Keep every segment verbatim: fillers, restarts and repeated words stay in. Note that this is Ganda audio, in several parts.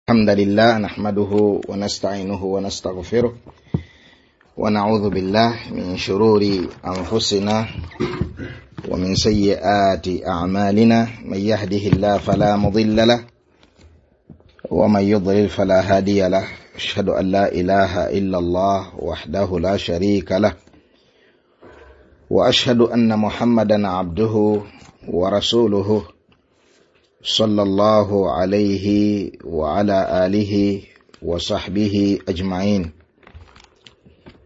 الحمد لله نحمده ونستعينه ونستغفره ونعوذ بالله من شرور أنفسنا ومن سيئات أعمالنا، من يهده الله فلا مضل له ومن يضلل فلا هادي له، أشهد أن لا إله إلا الله وحده لا شريك له، وأشهد أن محمدا عبده ورسوله صلى الله عليه وعلى آله وصحبه أجمعين.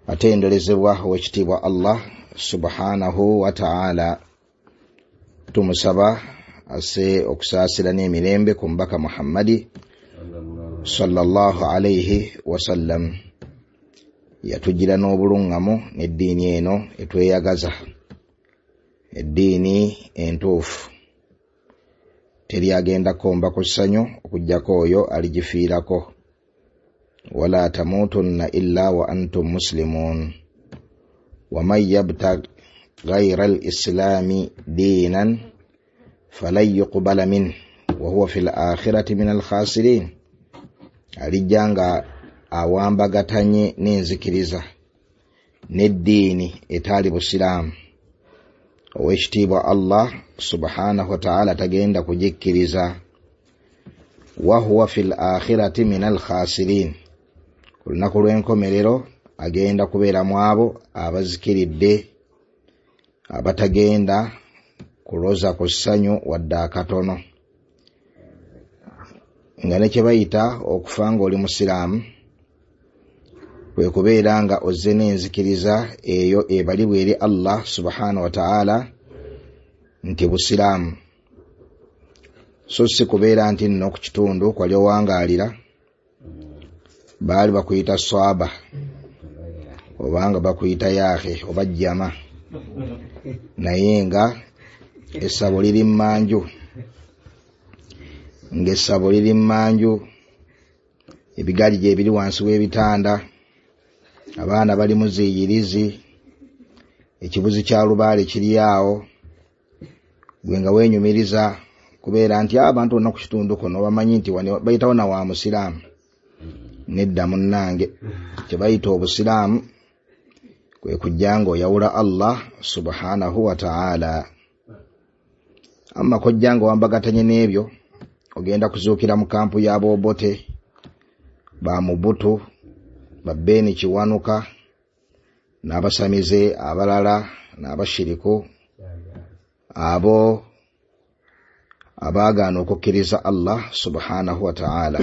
Atenderezebwa owekitiibwa Allah subhanahu wa ta'ala, tumusaba asse okusaasira n'emirembe ku mubaka Muhammadi sallallahu alayhi wasallam. Yatugira n'obulungamu n'eddiini eno etweyagaza, eddiini entuufu, teri agenda komba ku ssanyu okuggyako oyo aligifiirako. Wala tamutunna illa wa antum muslimun waman yabtaghi ghayra al-islami diinan falan yuqbala minhu wa huwa fil akhirati minal khasirin. Alijja nga awambagatanye n'enzikiriza n'eddiini etaali busiraamu, owekitiibwa Allah subhanahu wa ta'ala tagenda kugikkiriza. Wa huwa fil akhirati minal khasirin, ku lunaku lw'enkomerero agenda kubeera mu abo abazikiridde, abatagenda kuloza ku ssanyu wadde akatono. Nga ne kye bayita okufa ng'oli musiraamu kwe kubeera nga ozze n'enzikiriza eyo ebalibwa eri Allah subhanahu wa ta'ala nti busiraamu, so si kubeera nti nno ku kitundu kwali owangaalira baali bakuyita swaba obanga bakuyita yaahe oba jjama, naye nga essabo liri mmanju, ng'essabo liri mmanju, ebigaali gye biri wansi w'ebitanda, abaana bali mu ziyirizi, ekibuzi kya lubaale kiri awo, gwe nga weenyumiriza kubeera nti abantu bonna ku kitundu kuno bamanyi nti bayitawo na wa musiraamu. Nedda munnange, kye bayita obusiraamu kwe kujja ng'oyawula Allah subhanahu wa ta'ala. Amma kojja ng'owambagatanye n'ebyo, ogenda kuzuukira mu kampu y'Abobote, ba Mubutu, ba Beni Kiwanuka n'abasamize abalala n'abashiriku, abo abaagaana okukkiriza Allah subhanahu wa ta'ala.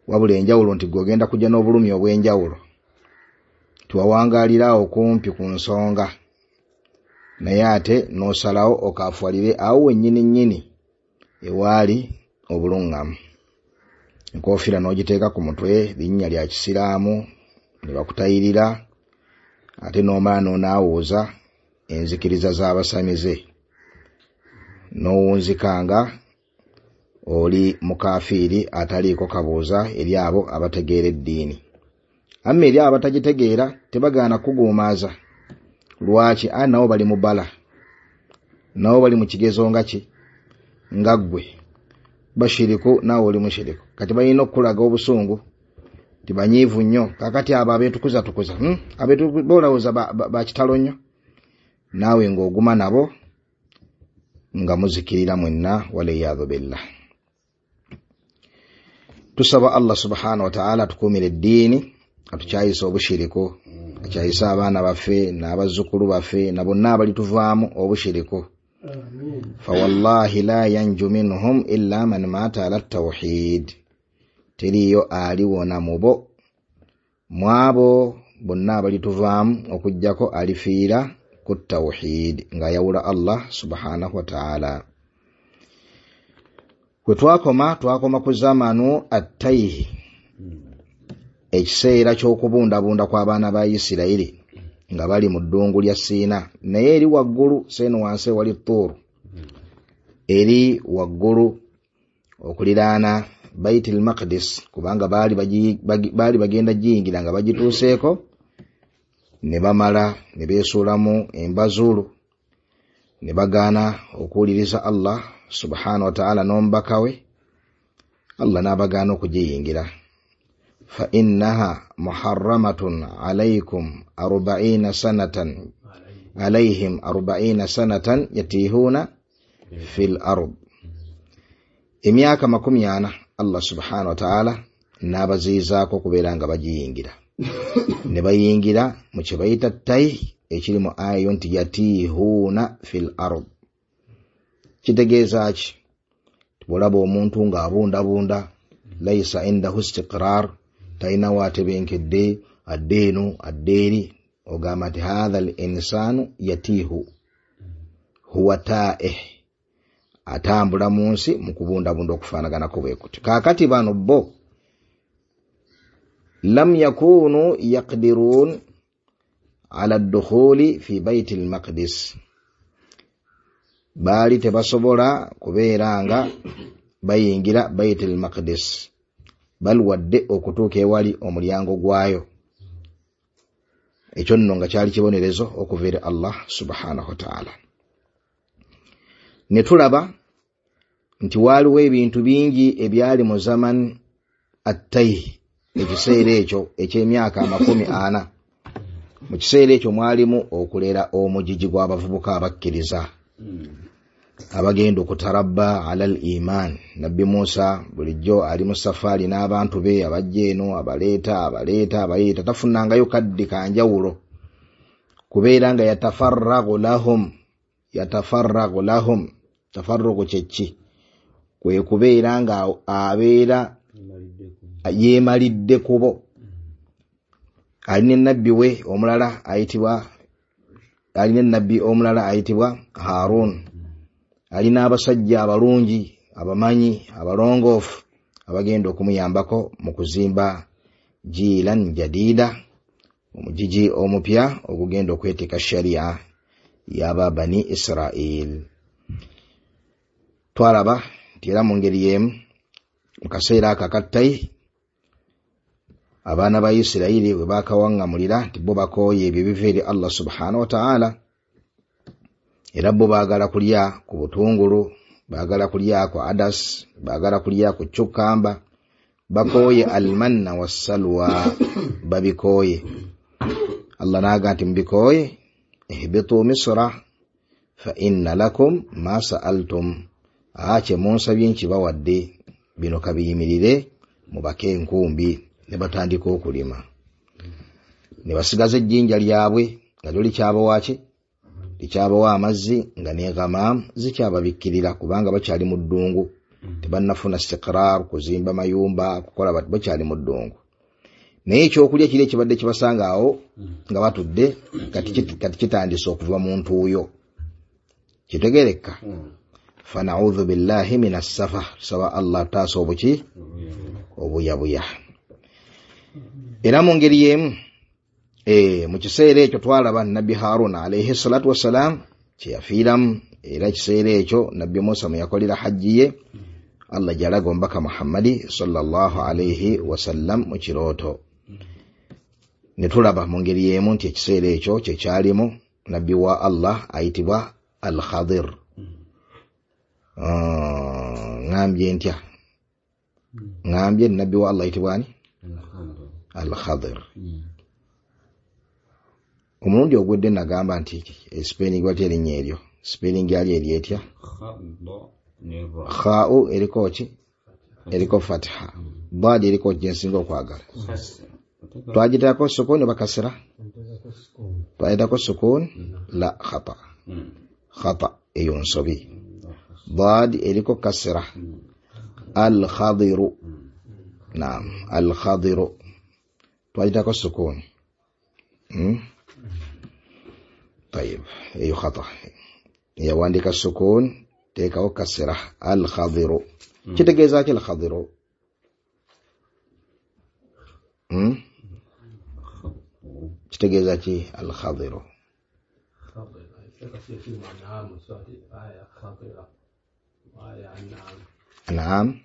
Wabula enjawulo nti gwe ogenda kujja n'obulumi obw'enjawulo, tiwawangaalira awo kumpi ku nsonga, naye ate n'osalawo okaafuwalire awo wennyini nnyini ewaali obulungamu. Enkofiira n'ogiteeka ku mutwe, linnya lya kisiraamu, ne bakutayirira, ate n'omala n'onaawuuza enzikiriza z'abasamize, n'owunzikanga oli mukafiiri ataliiko kabuuza eri abo abategeera eddiini. Amma eri abo abatagitegeera tebagaana kuguumaaza. Lwaki? A nabo bali mu bbala, nabo bali mu kigezo nga ki nga ggwe, bashiriku naawe oli mushiriku. Kati balina okukulaga obusungu tibanyiivu nnyo. Kakati abo abeetukuzatukuza hmm? Abeetu bolowooza bakitalo nnyo, naawe ng'oguma nabo nga muzikirira mwenna, waliyadhu billah. Tusaba Allah subhanahu wa ta'ala atukuumire eddiini, atukyayise obushiriku, akyayise abaana baffe n'abazzukulu baffe na bonna abalituvaamu obushiriku. Fawallahi la yanju minhum illa man mata ala tawhid, teriyo aliwona mubo mwabo bonna abalituvaamu okuggyako alifiira ku tawhid, ng'ayawula Allah subhanahu wa ta'ala. Kwe twakoma, twakoma ku zamanu attaihi, ekiseera ky'okubundabunda kw'abaana ba Isirayiri nga bali mu ddungu lya Siina, naye eri waggulu seeno wansi ewali Tuuru, eri waggulu okuliraana Baitul Maqdis, kubanga baali baali bagenda giyingira nga bagituuseeko, ne bamala ne beesuulamu embazuulu, ne bagaana okuwuliriza Allah subhanahu wa ta'ala n'omubaka we. Allah n'abagaana okugiyingira. Fa innaha muharramatun alaykum arba'ina sanatan alayhim arba'ina sanatan yatihuna fil ard. Emyaka makumi ana Allah subhanahu wa ta'ala n'abaziyizaako okubeera nga bagiyingira. Ne bayingira mu kye bayita tayi ekiri mu ayo nti yatihuna fil ard. Kitegeeza ki? Bw'olaba omuntu ng'abundabunda, laisa indahu istiqrar, talina waatebenkedde, adde eno adde eri, ogamba nti hatha al insanu yatihu huwa taih, atambula mu nsi mu kubundabunda okufaanaganako bwe kuti. Kaakati bano bo lam yakunu yaqdirun ala ddukhuli fi baiti al-maqdis, baali tebasobola kubeera nga bayingira Bait al-Maqdis, bal wadde okutuuka ewali omulyango gwayo. Ekyo nno nga kyali kibonerezo okuva eri Allah subhanahu wa ta'ala. Ne tulaba nti waaliwo ebintu bingi ebyali mu zaman at-tayh, ekiseera ekyo eky'emyaka amakumi ana. Mu kiseera ekyo mwalimu okulera omugigi gw'abavubuka abakkiriza abagenda okutarabba ala al-iman. Nabbi Musa bulijjo ali mu safaari n'abantu be, abajja eno abaleeta abaleeta abayita, tafunangayo kaddi kanjawulo kubeera nga yatafarragu lahum. Yatafarragu lahum, tafarrugu kyeki? Kwe kubeera nga abeera yeemalidde kubo. Alina nabbi we omulala ayitibwa, alina nabbi omulala ayitibwa Harun, alina abasajja abalungi abamanyi abalongoofu abagenda okumuyambako mu kuzimba jiilan jadida, omugigi omupya ogugenda okweteeka sharia y'aba Bani Israel. Twalaba nti era mu ngeri y'emu mu kaseera ako akattayi abaana ba Isirayiri bwe baakawaŋŋamulira nti bo bakooye ebyo biva eri Allah subhanahu wa ta'ala, era bo baagala kulya ku butungulu, baagala kulya ku adas, baagala kulya ku cukamba, bakooye almanna wassalwa, babikooye. Allah n'agamba nti mubikooye, ihbitu misra fa inna lakum ma sa'altum, aa kye munsabye nkibawadde, bino kabiyimirire mubake enkumbi. Ne batandika okulima, ne basigaza ejjinja lyabwe nga lyo likyabawa ki? Likyabawa amazzi, nga ne ghamam zikyababikkirira kubanga bakyali mu ddungu, tebannafuna istiqrar kuzimba mayumba kukola, bakyali mu ddungu. Naye ekyokulya kiri ekibadde kibasanga awo nga batudde kati kitandise okuva mu ntuuyo. Kitegeereka? Fanaudhu billahi minas safa, tusaba Allah taasa obuki obuyabuya. Era mu ngeri y'emu e, mu kiseera ekyo twalaba Nabbi Haruna alayhi salatu wassalam kye yafiiramu. Era ekiseera ekyo Nabbi Musa mwe yakolera hajji ye, Allah gy'alaga omubaka Muhammadi sallallahu alayhi wasallam mu kirooto. Ne tulaba mu ngeri y'emu nti ekiseera ekyo kye kyalimu Nabbi wa Allah ayitibwa Al-Khadir. Ŋŋambye ntya? Ŋŋambye Nabbi wa Allah ayitibwa ani? Al-Khadir. Omulundi ogwedde nagamba nti spelling batya erinnya eryo? Spelling yali eri etya? Kha'u eriko ki? Eriko fatha. Dad eriko ki nsinga okwagala? Twagiteekako sukuni oba kasira? Twagiteekako sukuni? La, khata. Khata eyo nsobi. Dad eriko kasira. Al-Khadiru. Naam, Al-Khadiru. Twagiteekako sukuni. Hmm? Tayib, eyo khata. Yawandika sukun, teekawo kasira. Al-Khadiru. Kitegeeza ki Al-Khadiru? Hmm? Kitegeeza ki Al-Khadiru? Naam.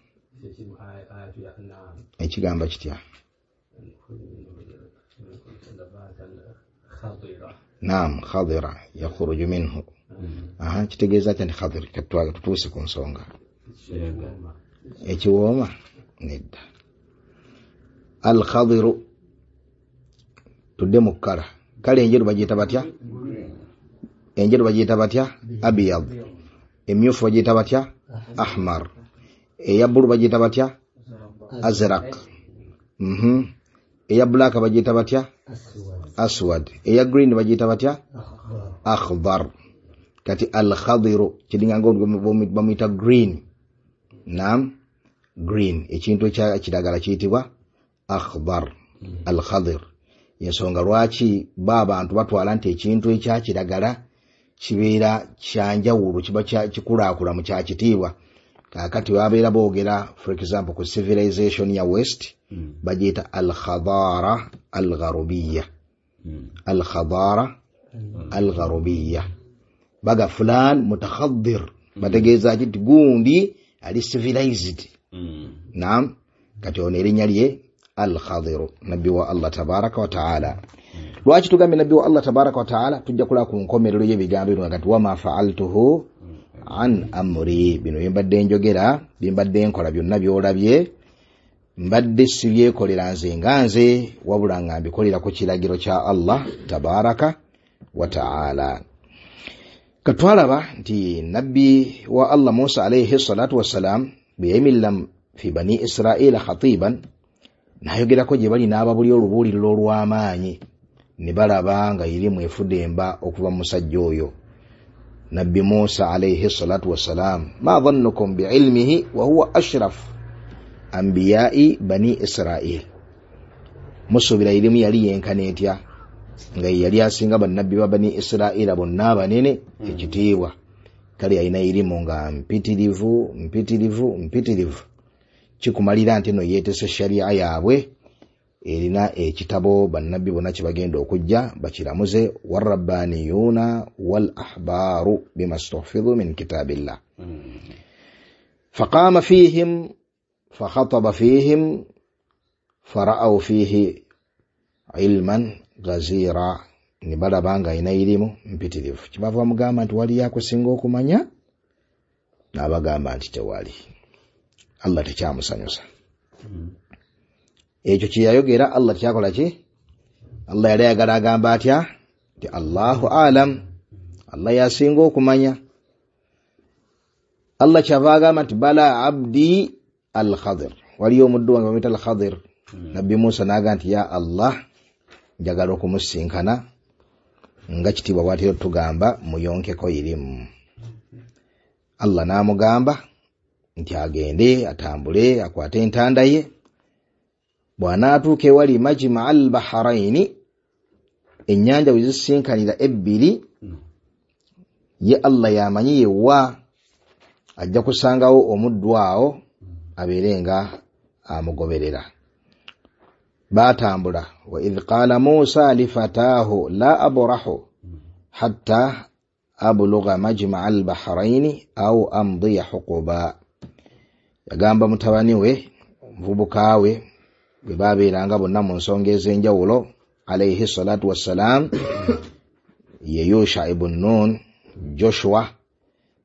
Ekigamba kitya? Naam, khadira yakhruju minhu. Aha, kitegeeza ki nti khadir? Katwaga tutuuse ku nsonga. Ekiwooma. Nedda. Al-Khadiru, tudde mu kkala. Kale enjeru bagiyita batya? Enjeru bagiyita batya? Abiyad. Emyufu bagiyita batya? Ahmar. Eya bbulu bagiyita batya? Azraq. Mhm. Eya black bagiyita batya? Aswad. Eya green bagiyita batya? Akhdar. Kati al-Khadiru kiringa ngo bamuyita green. Naam, green. Ekintu ekya kiragala kiyitibwa akhdar. Al-Khadir. Yensonga lwaki ba abantu batwala nti ekintu ekya kiragala kibeera kyanjawulo, kiba kikulaakula mu kyakitiibwa. Kaakati babeera boogera for example ku civilization ya West, mm. bagiyita al-khadara al-gharubiyya. Mm. Al-khadara mm. al-gharubiyya. Baga fulan mutakhaddir, mm. bategeeza ki gundi ali civilized. Mm. Naam, kati ono erinnya lye al-Khadiru, nabbi wa Allah tabaraka wa taala. Lwaki tugambye nabbi wa Allah tabaraka wa taala? Tujja kulaba ku nkomerero y'ebigambo bino kati wama fa'altuhu an amri, bino byembadde njogera, byembadde nkola byonna by'olabye, mbadde sibyekolera nze nga nze, wabula nga mbikolera ku kiragiro kya Allah tabaraka wa taala. Katwalaba nti nabbi wa Allah Musa alayhi salatu wassalam bwe yayimirira fi bani Israila khatiban, n'ayogerako gye bali n'ababuli olubuuliriro olw'amaanyi, ne balaba nga irimu efudemba okuva mu musajja oyo Nabbi Musa alayhi salatu wassalam. Ma dhannukum biilmihi wa huwa ashraf anbiyai bani Israil. Musuubira irimu yali yenkana etya nga yali asinga bannabbi ba bani Israila bonna abanene ekitiibwa. Kale alina irimu nga mpitirivu mpitirivu mpitirivu, kikumalira nti no yeetese sharia yaabwe erina ekitabo bannabbi bonna kye bagenda okujja bakiramuze, warabbaniyuna wal ahbaru bima stuhfidhu min kitabillah. Faqama fihim fakhataba fihim fara'aw fihi ilman ghazira, ne balaba nga alina irimu mpitirivu. Kibava bamugamba nti waliyo akusinga okumanya, n'abagamba nti tewali. Allah tekyamusanyusa. Ekyo kye yayogera Allah kyakola ki? Allah yali ayagala agamba atya? Nti Allahu alam, Allah yasinga okumanya. Allah kyava agamba nti bala abdi al-Khadir, waliyo omuddu wange bamuyita al-Khadir. Nabbi Musa n'agamba nti ya Allah, njagala okumusinkana nga kitiibwa bw'atera tugamba muyonkeko irimu. Allah n'amugamba nti agende atambule akwate entanda ye, bw'anaatuuka ewali majma al-baharaini, ennyanja we zisinkanira ebbiri, ye Allah yamanyi yewa, ajja kusangawo omuddu awo abeere nga amugoberera. Baatambula. Wa idh qala Musa lifataahu la abrahu hatta ablugha majma al-baharaini aw amdiya huquba. Yagamba mutabani we, omuvubuka we, bwe babeeranga bonna mu nsonga ez'enjawulo alayhi salatu wassalam, ye Yusha ibn Nun, Joshua,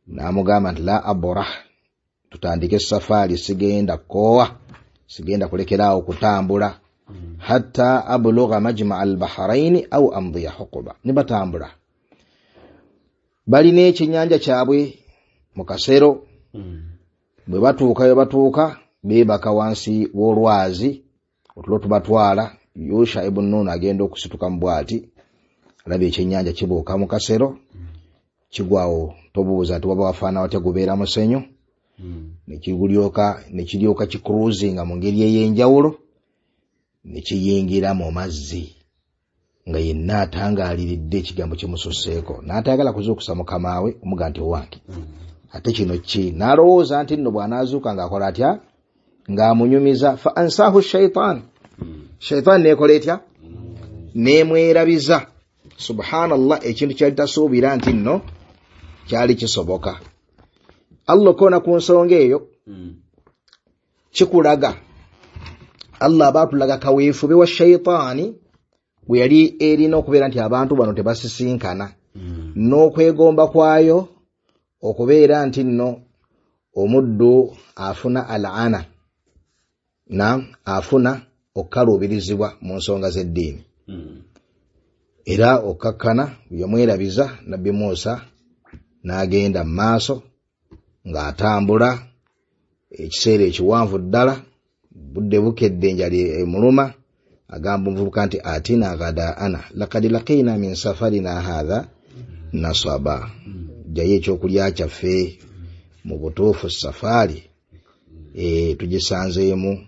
n'amugamba nti la abrah, tutandike safaari, sigenda koowa, sigenda kulekeraawo kutambula hatta ablugha majma al-baharaini aw amdiya huquba. Ne batambula, balina ekyennyanja kyabwe mu kasero. Bwe batuuka we batuuka beebaka wansi w'olwazi, otulo tubatwala. Yusha ibn Nun agenda okusituka mu bwati, alaba ekyennyanja kibuuka mu kasero, kigwawo tobuuza nti waba wafaana watya, gubeera musenyu, nekigulyoka nekiryoka kicruisinga mu ngeri ey'enjawulo, ne kiyingira mu mazzi nga yenna atangaaliridde ekigambo kimususseeko, n'atayagala kuzuukusa mukama we omuga nti owange ate kino ki, n'alowooza nti nno bw'anaazuuka ng'akola atya, ng'amunyumiza. Fa ansaahu shaitan, shaitan neekola etya? Neemwerabiza. Subhanallah, ekintu kyali tasuubira nti nno kyali kisoboka. Allah okona ku nsonga eyo kikulaga Allah aba atulaga kaweefube wa shaitaani bwe yali erina okubeera nti abantu bano tebasisinkana, n'okwegomba kwayo okubeera nti nno omuddu afuna al-ana, Na afuna okukaluubirizibwa mu nsonga z'eddiini. Era okkakkana yamwerabiza Nabbi Musa n'agenda mu maaso ng'atambula ekiseera ekiwanvu ddala, budde bukedde enjala emuluma. Agamba omuvubuka nti atina ghadaana laqad laqina min safarina hadha nasaba, jjayo ekyokulya kyaffe, mu butuufu safaari e, tugisanzeemu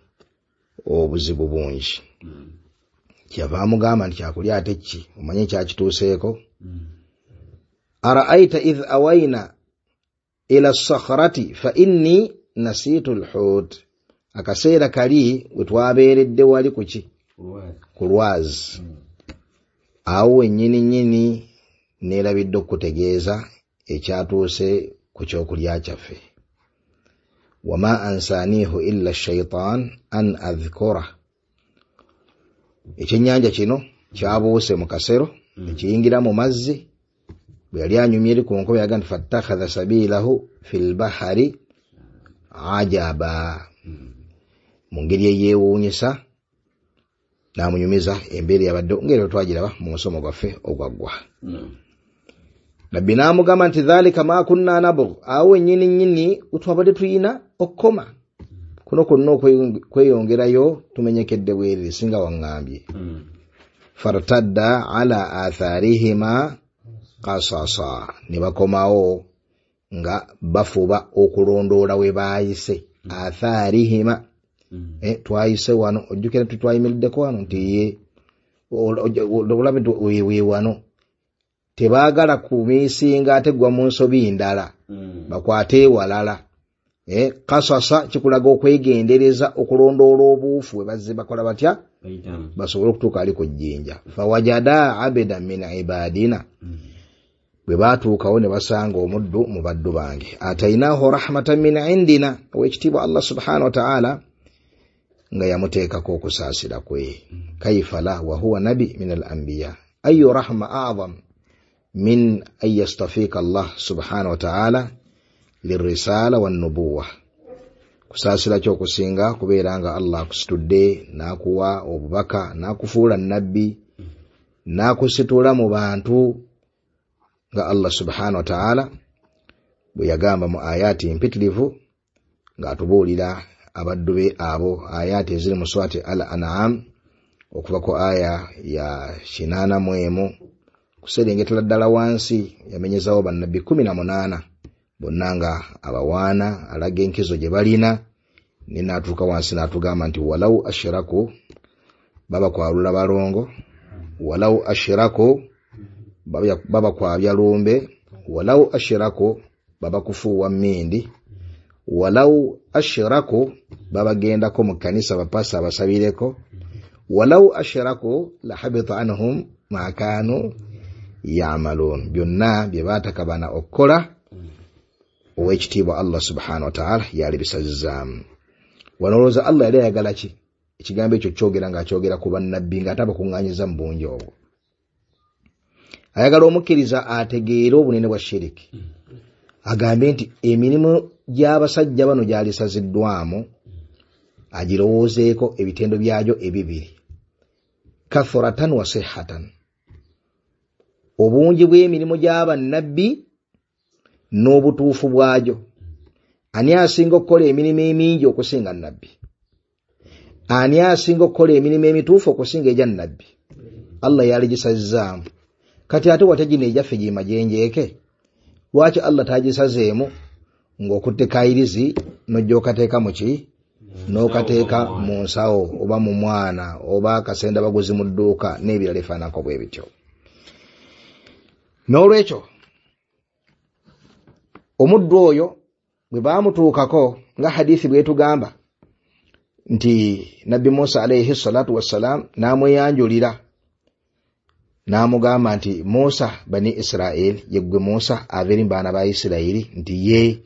obuzibu bungi. Kyava amugamba nti kyakulya ate ki, omanye kyakituuseeko. Araaita idh awayna ila sakhrati fa inni nasitu lhut, akaseera kali we twabeeredde wali kuki ku lwazi, awo wennyini nnyini neerabidde okutegeeza ekyatuuse ku kyokulya kyaffe. Wama ansanihu illa shaitan an adhkura, ekyennyanja kino kyabuuse mu kasero ekiyingira mu mazzi. Bwe yali anyumye eri ku nkobe yaga nti fattakhadha sabilahu fi lbahari ajaba, mu ngeri eyeewuunyisa n'amunyumiza embeera yabadde ngeri twagiraba mu musomo gwaffe ogwaggwa. Nabbi n'amugamba nti dhalika ma kunna nabgh, awo wennyini nnyini wetwabadde tuyina okukoma, kuno kwonna okweyongerayo tumenyekedde bwerere singa waŋŋambye. Fartadda ala atharihima qasasa, ne bakomawo nga bafuba okulondoola we baayise. Atharihima, eh, twayise wano, ojjukira nti twayimiriddeko wano nti ye olabe nti we wano. Tebaagala kumiisinga ate gwa mu nsobi ndala, bakwate ewalala. Eh, kasasa kikulaga okwegendereza okulondoola obuufu we bazze bakola batya basobole okutuuka ali ku jjinja. Fawajada abeda min ibadina, bwe baatuukawo ne basanga omuddu mu baddu bange. Atainahu rahmatan min indina, owekitiibwa Allah subhanahu wa ta'ala nga yamuteekako okusaasira kwe. Kaifa la wa huwa nabi min al anbiya, ayu rahma a'zam min an yastafika Allah subhanahu wa ta'ala lirisala wannubuwa, kusaasira kyokusinga kubeera nga Allah akusitudde n'akuwa obubaka n'akufuula nabbi n'akusitula mu bantu, nga Allah subhanahu wa ta'ala bwe yagamba mu ayati mpitirivu ng'atubuulira abaddu be abo, ayati eziri mu surati Al An'am okuva ku aya ya kinaana mu emu kuserengetera ddala wansi, yamenyezawo bannabbi kumi na munaana bonna nga abawaana, alaga enkizo gye balina, ne n'atuuka wansi n'atugamba nti walau ashiraku, baba kwalula balongo, walau ashiraku baba kwabya lumbe, walau ashiraku baba kufuuwa mmindi, walau ashiraku babagendako mu kkanisa bapasa abasabireko, walau ashiraku lahabita anhum ma kanu ya'malun, byonna bye baatakabana okukola owekitiibwa Allah subhanahu wa ta'ala yali bisazizaamu. Wano olowooza Allah yali ayagala ki ekigambo ekyo kyogera ng'akyogera ku bannabbi ng'ate abakuŋŋaanyiza mu bungi obwo? Ayagala omukkiriza ategeere obunene bwa shiriki, agambe nti emirimu gy'abasajja bano gyalisaziddwamu agirowoozeeko ebitendo byagyo ebibiri, kathuratan wa sihhatan, obungi bw'emirimu gy'abannabbi n'obutuufu bwagyo. Ani asinga okukola emirimu emingi okusinga nnabbi? Ani asinga okukola emirimu emituufu okusinga egya nnabbi? Allah yaligisazizaamu. Kati ate wate gino egyaffe gimajenjeeke, lwaki Allah tagisazeemu ng'okutte kayirizi n'ojja okateeka mu ki? N'okateeka mu nsawo oba mu mwana oba akasenda baguzi mu dduuka n'ebirala efaananako bwe bityo. N'olwekyo omuddu oyo bwe baamutuukako nga hadithi bwetugamba nti Nabbi Musa alayhi salatu wassalam n'amweyanjulira n'amugamba nti Musa bani Israeli, yeggwe Musa ava eri mu baana ba Isirayiri, nti ye.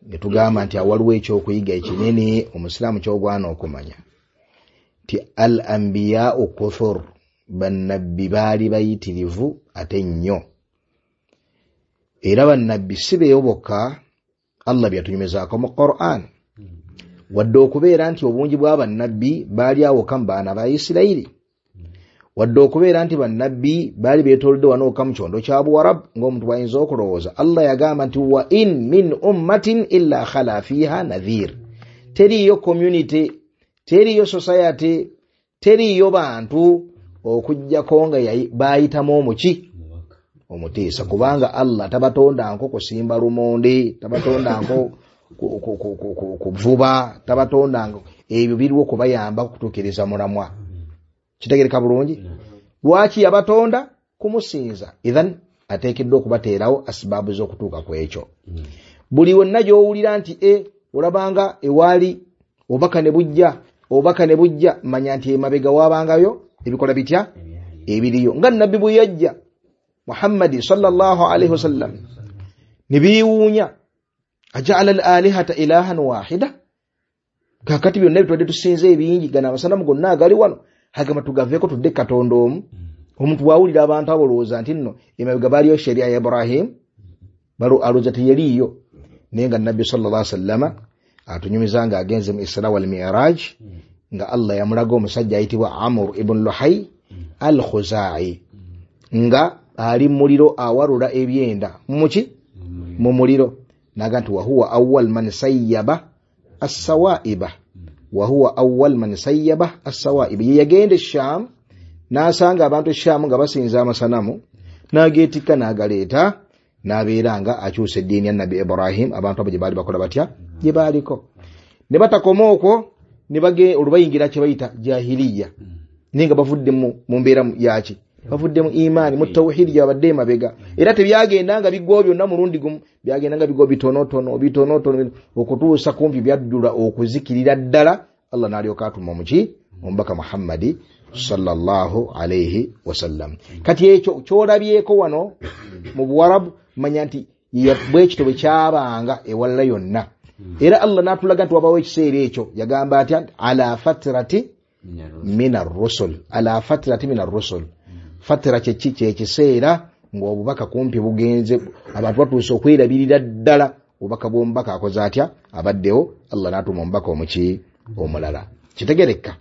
Ne tugamba nti awaliwo ekyokuyiga ekinene omusiraamu ky'ogwana okumanya nti al anbiyaau kuthur, bannabbi baali bayitirivu ate nnyo, era bannabbi si beeyo bokka Allah byatunyumizaako mu Qur'an. Wadde okubeera nti obungi bwa bannabbi baali awo mu baana ba Isirayiri, wadde okubeera nti bannabbi baali beetoolodde wano mu kyondo kya Buwarabu ng'omuntu bw'ayinza okulowooza, Allah yagamba nti wa in min ummatin illa khala fiha nadhir. Teriiyo community, teriiyo society, teriiyo bantu okuggyako nga baayitamu omuki omutiisa, kubanga Allah tabatondanko kusimba lumonde, tabatondanko kuvuba, tabatondanko ebyo biriwo kubayamba kutuukiriza mulamwa. Kitegereka bulungi? Lwaki yabatonda? Kumusinza. Idhan ateekeddwa okubateerawo asibaabu z'okutuuka ku ekyo. Buli wonna gy'owulira nti e olabanga ewaali obubaka ne bujja, obubaka ne bujja, manya nti emabega waabangayo ebikola bitya ebiriyo. Nga nabbi bwe yajja Muhammadi sallallahu alaihi wasallam ne beewuunya, aja'ala al-alihata ilahan wahida, kakati byonna bitwadde tusinze ebingi, gano amasanamu gonna agali wano agamba tugaveeko tudde Katonda omu. Omuntu bw'awulira abantu abolowooza nti nno emabega baaliyo sheria ya Ibrahim, alowooza teyeriiyo. Naye nga nabbi sallallahu alaihi wasallama atunyumiza nga agenze mu Isra wal Mi'raj, nga Allah yamulaga omusajja ayitibwa Amr ibn Luhay al-Khuzai nga ali muliro awalula ebyenda muki mu muliro, naga nti wahuwa awwal man sayyaba as-sawaiba, wahuwa awwal man sayyaba as-sawaiba. Ye yagenda e Sham n'asanga abantu e Sham nga basinza amasanamu, n'ageetikka n'agaleeta, n'abeera nga akyusa eddiini ya Nabbi Ibrahim, abantu abo gye baali bakola batya gye baaliko. Ne batakoma okwo, ne bage olubayingira kye bayita jahiliya, naye nga bavudde mu mbeera yaki, bavudde mu imaani, mu tawhidi gyabadde emabega. Era tebyagenda nga biggwawo byonna mulundi gumu, byagenda nga biggwawo bitonotono bitonotono okutuusa kumpi byajjula okuzikirira ddala. Allah n'alyoka atuma omuki omubaka Muhammadi sallallahu alaihi wasallam. Kati ekyo ky'olabyeko wano mu Buwarabu, manya nti bwe kityo bwe kyabanga ewalala yonna. Era Allah n'atulaga nti wabawo ekiseera ekyo, yagamba atya? Ala fatrati min ar-rusul, ala fatrati min ar-rusul. Fatira kyeki? Kyekiseera ng'obubaka kumpi bugenze, abantu batuuse okwerabirira ddala obubaka bw'omubaka akoze atya abaddewo. Allah n'atuma omubaka omuki omulala. Kitegereka?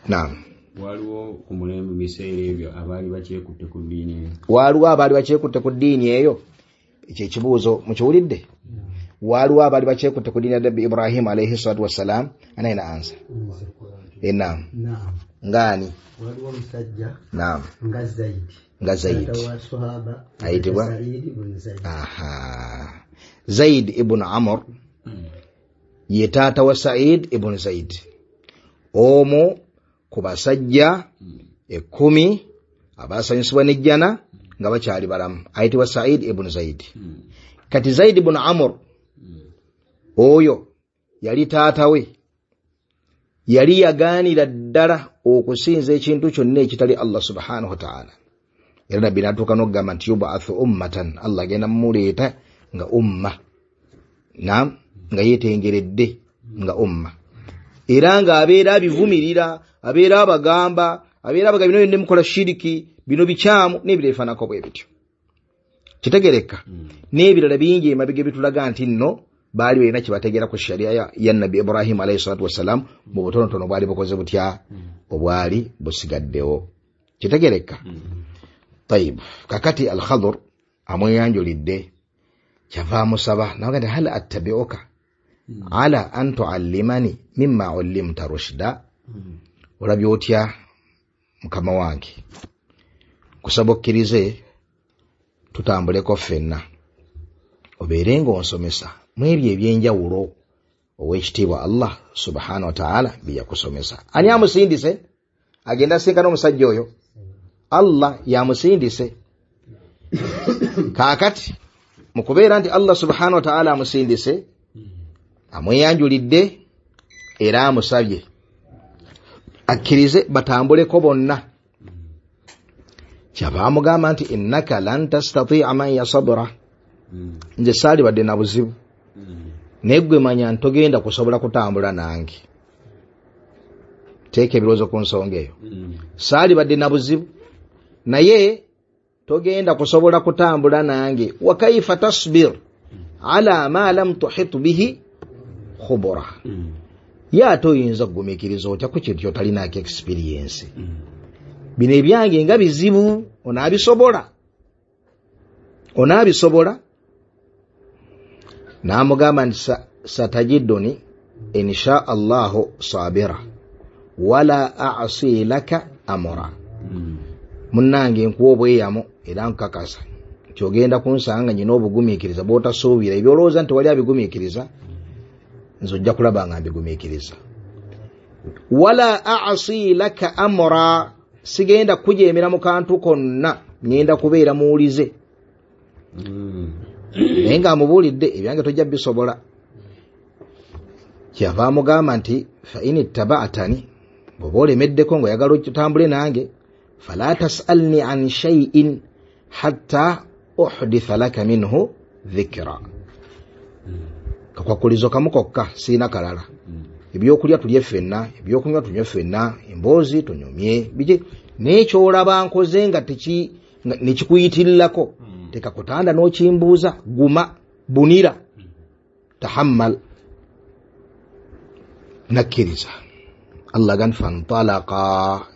Naam. Waliwo ku mulembe biseera ebyo abaali bakyekutte ku ddiini eyo? Waliwo abaali bakyekutte ku ddiini eyo? Ekyo ekibuuzo mukiwulidde? Waliwo abaali bakyekutte ku ddiini ya Nabbi Ibrahim alayhi salatu wassalam? Anaina ansa. Naam. Ngani? Waliwo omusajja Naam. nga Zaidi, nga Zaid ayitibwa aha Zaid ibn Amr, ye taata wa Said ibn Zaid, omu ku basajja ekkumi abasanyusibwa n'ejjana nga bakyali balamu, ayitibwa Said ibn Zaid. Kati Zaid ibn Amr oyo yali taata we, yali yagaanira ddala okusinza ekintu kyonna ekitali Allah subhanahu wa ta'ala. Era nabbi n'atuuka n'okugamba nti yubathu ummatan, Allah agenda mumuleeta nga umma, naam, nga yeetengeredde nga umma, era ng'abeera abivumirira, abeera abagamba, abeera abaga bino byonna mukola shiriki, bino bikyamu, n'ebirala bifaananako bwe bityo. Kitegereka? N'ebirala bingi emabega ebitulaga nti nno baali balina kye bategeera ku sharia ya Nabbi Ibrahim alayhi salatu wassalam mu butonotono bwali bukoze butya obwali busigaddewo. Kitegereka? Tayib. Kakati Al-Khadir amweyanjulidde, kyava amusaba naga nti hal attabi'uka ala an tuallimani mimma ullimta rushda, olabye otya mukama wange, kusaba okkirize tutambuleko ffenna, obeere ng'onsomesa mu ebyo ebyenjawulo ow'ekitiibwa Allah subhanahu wa ta'ala bye yakusomesa. Ani amusindise agenda asinkana omusajja oyo? Allah yamusindise. Kaakati mu kubeera nti Allah subhanahu wa ta'ala amusindise, amweyanjulidde era amusabye akkirize batambuleko bonna. Kyava amugamba nti innaka lan tastati'a man yasabra, nze saalibadde na buzibu, naye ggwe manya ntogenda kusobola kutambula nange. Teeka ebirowoozo ku nsonga eyo. Saalibadde na buzibu, naye togenda kusobola kutambula nange. Wa kaifa tasbir ala ma lam tuhit bihi khubura. Ye ate oyinza kugumiikiriza otya ku kintu ky'otalinaako experience? Bino ebyange nga bizibu, onaabisobola? Onaabisobola? N'amugamba nti satajiduni insha Allahu sabira wala a'si laka amra. Munnange nkuwa obweyamo era nkakasa nti ogenda kunsanga nyina obugumiikiriza bw'otasuubira. Ebyolowooza nti wali abigumiikiriza, nze ojja kulaba nga mbigumiikiriza. Wala a'si laka amra, sigenda kujeemera mu kantu konna, ngenda kubeera muwulize. Naye ng'amubuulidde ebyange tojja bisobola. Kyava amugamba nti fa in ittaba'tani, bw'oba olemeddeko ng'oyagala otambule nange, fala tas'alni an shay'in hatta uhditha laka minhu dhikra. Kakwakulizo kamu kokka, siina kalala. Ebyokulya tulye ffenna, ebyokunywa tunywe ffenna, emboozi tunyumye, biki naye ky'olaba nkoze nga teki nekikuyitirirako tekakutanda n'okimbuuza, guma, bunira, tahammal. Nakkiriza. Allah gan fantalaqa,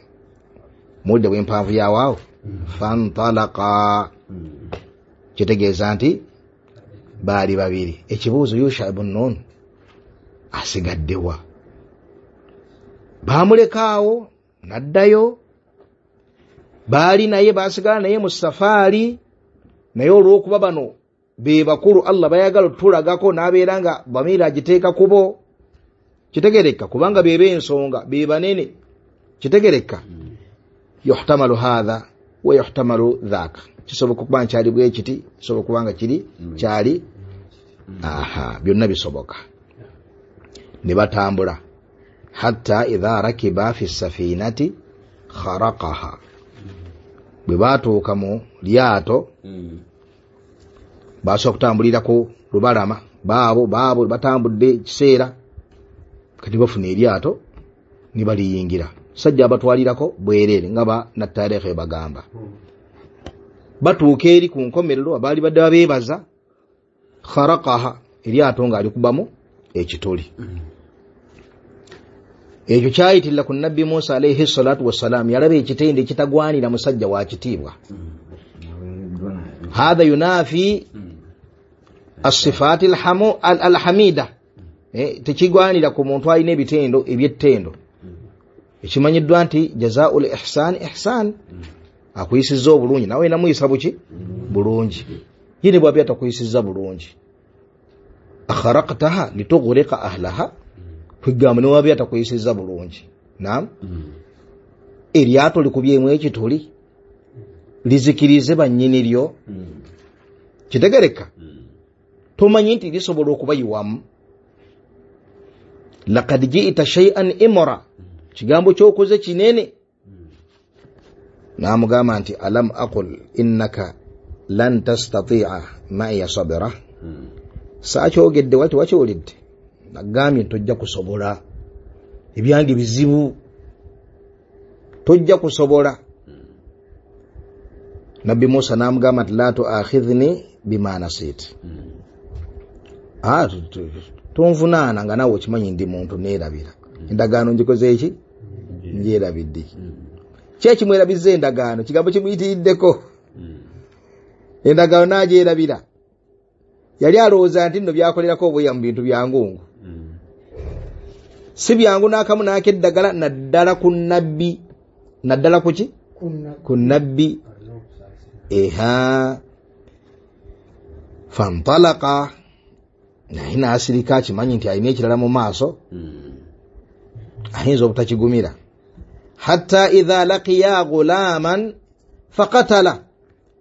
mudde bw'empanvu yawaawo, fantalaqa kitegeeza nti baali babiri. Ekibuuzo Yusha ibn Nun asigaddewa? Baamulekaawo n'addayo, baali naye baasigala naye mu safaari, naye olw'okuba bano be bakulu Allah bayagala otulagako n'abeera nga bamiira agiteeka kubo. Kitegereka kubanga be b'ensonga, be banene. Kitegereka yuhtamalu hadha wa yuhtamalu dhaka, kisoboka okuba nkyali bwe kiti, kisoboka okuba nga kiri kyali, aha, byonna bisoboka. Ne batambula hatta idha rakiba fi safinati kharaqaha, bwe baatuuka mu lyato basobola okutambulira ku lubalama, baabo baabo batambudde ekiseera, kati bafuna eryato ne baliyingira. Sajja abatwalirako bwereere nga ba nattareekhe bagamba. Batuuka eri ku nkomerero abaali badde babeebaza, kharaqaha, eryato ng'alikubamu ekituli. Ekyo kyayitirira ku Nabbi Musa alayhi salatu wassalam, yalaba ekitende ekitagwanira musajja wa kitiibwa. Hadha yunafi as-sifaati alhamida, tekigwanira ku muntu alina ebitendo eby'ettendo. Ekimanyiddwa nti jazaa'ul ihsaan ihsaan, akuyisizza obulungi nawe namuyisa buki bulungi, ye ne bw'aba atakuyisizza bulungi. Akharaqtaha litughriqa ahlaha, kwegamba ne bw'aba atakuyisizza bulungi. Naam, eryato likubyemu ekituli lizikirize bannyini lyo. Kitegereka tomanyi nti lisobola okubayiwamu. Laqad ji'ta shay'an imra, kigambo ky'okoze kinene. N'amugamba nti alam aqul innaka lan tastati'a ma'iya sabira, saakyogedde wati wakiwulidde, nagambye nti tojja kusobola, ebyange bizibu, tojja kusobola. Nabbi Musa n'amugamba nti la tu'akhidhni bima nasit, ah, tonvunaana nga naawe okimanyi ndi muntu neerabira endagaano ngikoze eki ngyerabidde. Ki ekimwerabizza endagaano? Kigambo kimuyitiriddeko, endagaano n'agyerabira. Yali alowooza nti nno byakolerako obweya mu bintu byangungu, si byangu n'akamu n'akeddagala, naddala ku nabbi, naddala ku ki? Ku nabbi. Eha, fantalaqa, naye n'asirika akimanyi nti alina ekirala mu maaso, ayinza obutakigumira. Hatta idha laqiya ghulaman faqatala,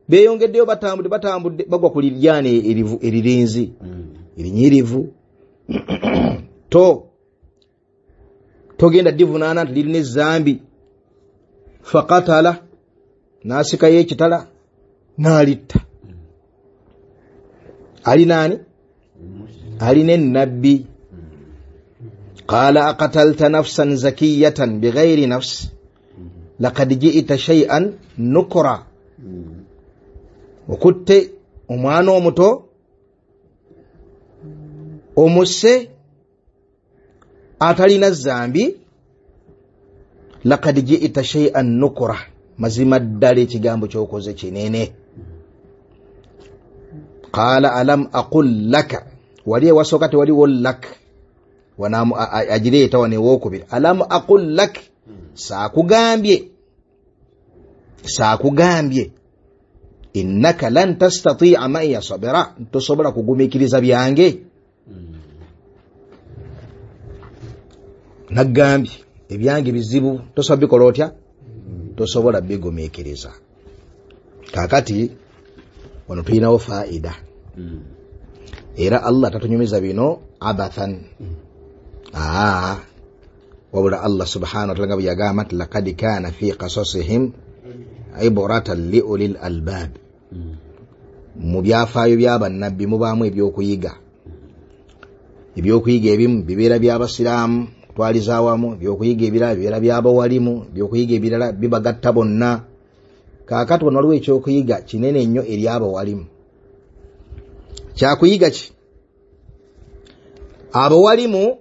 beeyongeddeyo batambudde batambudde bagwa ku liryana eririnzi erinyirivu to togenda divunaana nti lirina ezambi. Faqatala, n'asikayo ekitala n'alitta. Ali naani? Alina ennabbi. Qaala aqatalta nafsan zakiyatan bighayri nafs laqad ji'ta shay'an nukra, okutte omwana omuto omusse Atalina zambi, laqad ji'ta shay'an nukra, mazima ddala ekigambo ky'okoze kinene. Qala alam aqul laka, wali ewasooka tewaliwo lak, wanamu agireeta wano ewookubiri, alam aqul lak, saakugambye saakugambye innaka lan tastati'a ma'iya sabira, tosobola kugumiikiriza byange. Nagambye ebyange bizibu, tosobola bikola otya, tosobola bigumiikiriza. Kaakati wano tulinawo faida, era Allah tatunyumiza bino abathan, aa wabula Allah subhanahu wa ta'ala nga bwe yagamba nti laqad kana fi qasasihim ibratan li ulil albab, mu byafaayo by'abannabbi mubaamu ebyokuyiga. Ebyokuyiga ebimu bibeera by'abasiraamu kutwaliza awamu, ebyokuyiga ebirala bibeera by'abawalimu, ebyokuyiga ebirala bibagatta bonna. Kaakati wano waliwo ekyokuyiga kinene nnyo eri abawalimu. Kyakuyiga ki? Abawalimu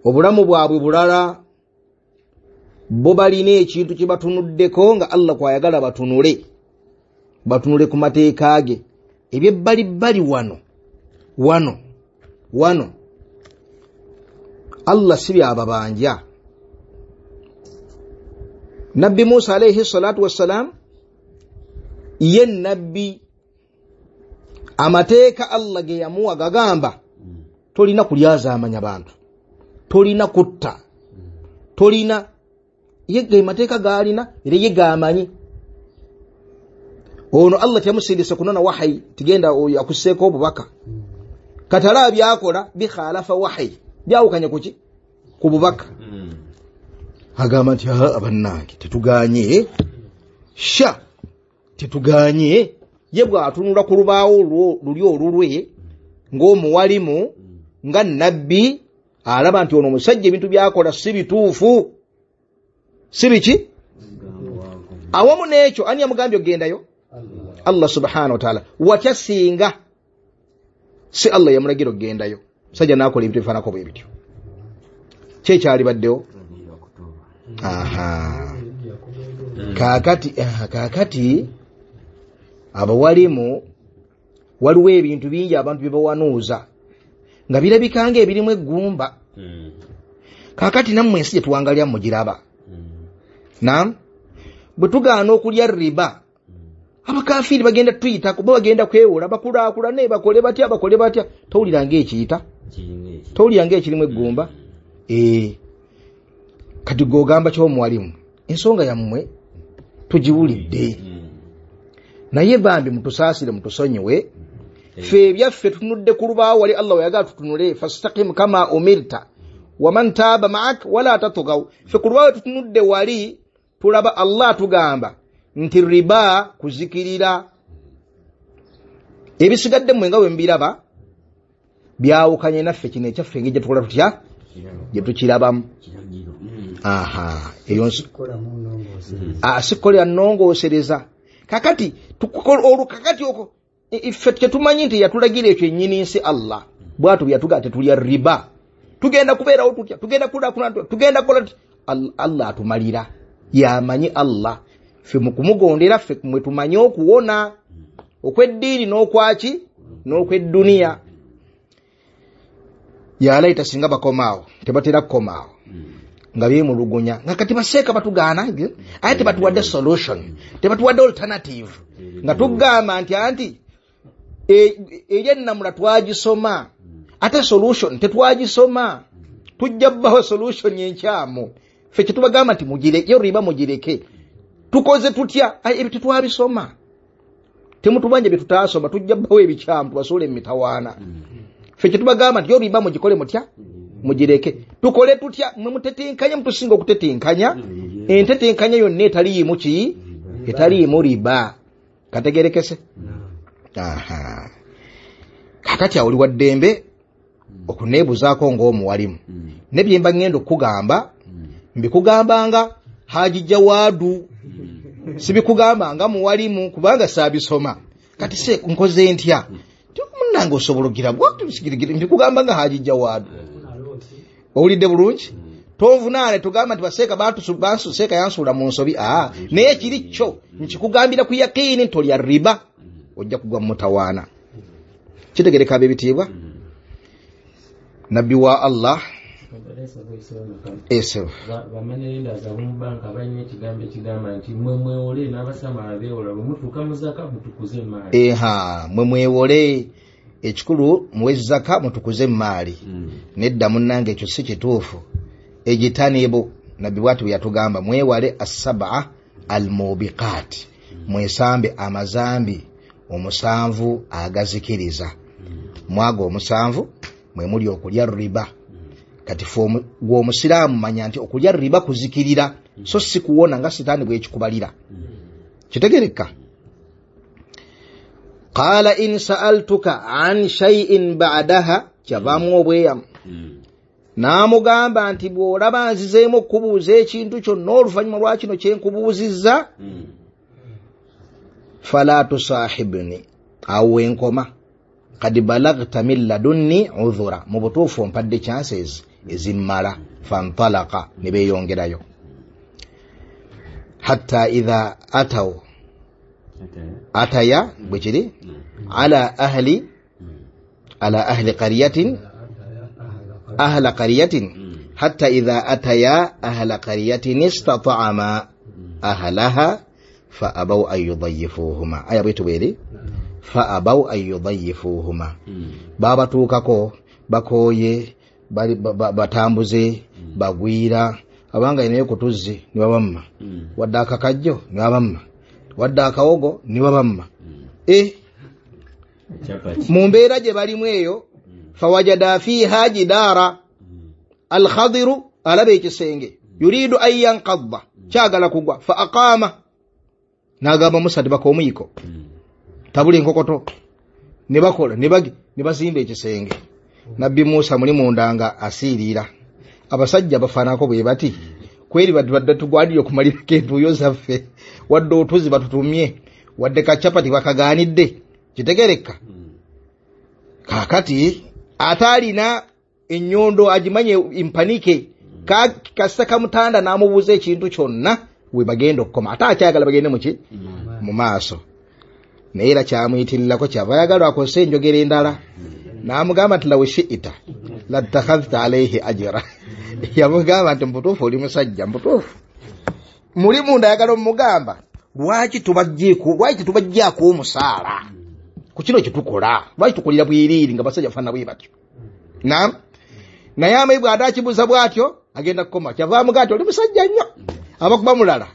obulamu bwabwe bulala, bo balina ekintu kye batunuddeko nga Allah kwayagala batunule, batunule ku mateeka ge. Eby'ebbalibbali wano wano wano Allah si byababanja. Nabbi Musa alayhi salatu wassalam ye nabbi, amateeka Allah ge yamuwa gagamba tolina kulyazaamanya bantu, tolina kutta, tolina, ye ge mateeka gaalina era ye gaamanyi. Ono Allah teyamusindise kunona wahayi tigenda akusseeko obubaka, katala byakola bikhalafa wahayi, byawukanye kuki ku bubaka. Agamba nti abannange tetuganye, sha tetuganye. Ye bw'atunula ku lubaawo luli olulwe ng'omuwalimu nga nabbi, alaba nti ono omusajja ebintu byakola si bituufu, si biki. Awamu n'ekyo ani yamugambye okugendayo? Allah subhanahu wa ta'ala. Watya singa si Allah yamulagira okugendayo, musajja n'akola ebintu ebifaananako bwe bityo, ki ekyalibaddewo? Aha, kaakati kaakati abawalimu waliwo ebintu bingi abantu bye bawanuuza nga birabika nga ebirimu eggumba. Kaakati nammwe ensi gye tuwangalya mugiraba. Naam, bwe tugaana okulya riba, abakafiiri bagenda tuyitako, bo bagenda kwewola, bakulaakulane, bakole batya bakole batya. Towulira ng'ekiyita, towulira ng'ekirimu eggumba. Ee, kati gw'ogamba ky'omuwalimu, ensonga yammwe tugiwulidde, naye bambi mutusaasire, mutusonyiwe. Ffe ebyaffe tutunudde ku lubaawo wali Allah weyagala tutunule, fastaqim kama umirta waman taaba ma'ak wala tatghaw. Ffe ku lubaawo tutunudde wali tulaba Allah tugamba nti riba kuzikirira. Ebisigadde mmwe nga bwe mbiraba byawukanye naffe, kino ekyaffe engeri gye tukola tutya gye tukirabamu. Aha, eyo sikolera nnongoosereza. Kakati olwo kakati okwo ffe tetumanyi nti yatulagira ekyo ennyini nsi Allah bw'atyo bwe yatugamba tetulya riba, tugenda kubeerawo tutya, tugenda kulaakulana, tugenda kukola tutya. Allah atumalira, yamanyi Allah. Ffe mu kumugondera ffe mwe tumanye okuwona okw'eddiini n'okwaki n'okw'edduniya. Yalaita singa bakomaawo, tebatera kukomaawo nga beemulugunya nga kati baseeka batugaana, aye tebatuwadde solution, tebatuwadde alternative, nga tugamba nti anti eri ennamula twagisoma, ate solution tetwagisoma, tujja bbawo solution enkyamu. Ffe kye tubagamba nti mugireke, riba mugireke. Tukoze tutya? Ebyo tetwabisoma, temutubanja bye tutaasoma, tujja bbawo ebikyamu tubasuule mu mitawaana. Ffe kye tubagamba nti yo riba mugikole mutya, mugireke. Tukole tutya? Mwe mutetenkanya, mutusinga okutetenkanya. Entetenkanya yonna etaliimu ki? Etaliimu riba. Kategerekese? Aha, kakati awo oli wa ddembe okuneebuzaako ng'omuwalimu, ne bye mba ŋŋenda okukugamba mbikugambanga Haji Jawadu, sibikugambanga muwalimu kubanga saabisoma. Kati se nkoze ntya? Munnange osobola ogira bwati, mbikugambanga Haji Jawadu. Owulidde bulungi? Tonvunaane tugamba nti baseeka bantu seeka yansuula mu nsobi. Aa, naye kiri kyo nkikugambira ku yakiini nti olya riba, ojja kugwa mu mutawaana. Kitegereka ab'ebitiibwa? Nabbi wa Allah Esef bamanerenda ab'omubanka balina ekigambo ekigamba nti mwe mwewole n'abasama abeewola bwe mutuuka mu zaka mutukuze emaali. Eha, mwe mwewole, ekikulu muwe zaka mutukuze emaali. Nedda munnange, ekyo si kituufu. Ejitanibu, nabbi bw'ati bwe yatugamba, mwewale assab'a almubiqat, mwesambe amazambi omusanvu agazikiriza. Mwago omusanvu mwe muli okulya riba. Kati ffe gwe omusiraamu manya nti okulya riba kuzikirira, so si kuwona nga sitaani bwekikubalira. Kitegereka? Qala in sa'altuka an shay'in ba'daha, kyavaamu obweyamu. N'amugamba nti bw'olaba nzizeemu okubuuza ekintu kyonna oluvannyuma lwa kino kye nkubuuzizza, fala tusahibni, awo wenkoma, kad balagta min ladunni udhura, mu butuufu ompadde chances ezimmala. Fantalaka, ne beeyongerayo hatta idha ataw ataya bwe kiri ala ahli ala ahli qaryatin ahla qaryatin hatta idha ataya ahla qaryatin istata'ama ahlaha fa abaw an yudayyifuhuma. Aya bwetu bweri fa abaw an yudayyifuhuma, babatuukako bakooye, batambuze, bagwira, abanga inayo kutuzzi ne babamma, wadde akakajjo ne babamma, wadde akawogo ne babamma. E mu mbeera gye balimu eyo, fawajada fiha jidara, alkhadiru alaba ekisenge, yuridu an yanqadda, kyagala kugwa, fa aqama, n'agamba Musa tibaka omuyiko, tabula enkokoto, ne bakola ne bagi ne bazimba ekisenge. Nabbi Musa muli munda nga asiirira. Abasajja bafaanako bwe bati, kweri badde tugwanire okumalirako entuuyo zaffe, wadde otuzi batutumye, wadde kacapati bakagaanidde. Kitegereka? Kaakati ate alina ennyondo agimanye impanike, kasita kamutanda n'amubuuza ekintu kyonna we bagenda okukoma, ate akyagala bagende muki mu maaso. Naye era kyamuyitirirako, kyava ayagala akozese enjogera endala, n'amugamba nti law shi'ita latakhadhta alayhi ajra. Yamugamba nti mbutuufu oli musajja mbutuufu. Muli munda ayagala omugamba lwaki tubajjeeko, lwaki tubajjaako omusaala ku kino kye tukola, lwaki tukolera bwiriiri nga basajja bafaanana bwe batyo. Naam, naye amayi bw'ate akibuuza bw'atyo agenda kukoma, kyava amugamba nti oli musajja nnyo, abakuba mulala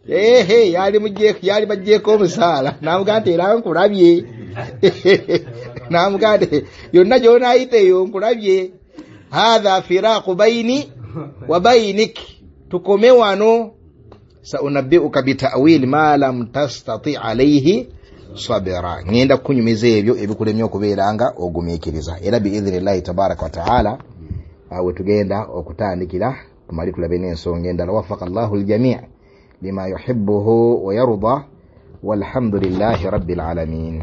ehe yali mujjeeko, yali bajjeeko omusaala. N'amugamba nti era nkulabye. N'amugamba nti yonna gy'onaayita eyo nkulabye. Hadha firaqu bayni wa baynik, tukome wano. Saunabbi'uka bita'wili ma lam tastati alayhi sabira, ngenda kukunyumiza ebyo ebikulemye okubeera nga ogumiikiriza. Era biidhnillahi tabaraka wa taala awe tugenda okutandikira tumale tulabe n'ensonga endala. Wafaka Allahu aljami' lima yuhibbuhu wa yarda, walhamdulillahi rabbil alamin.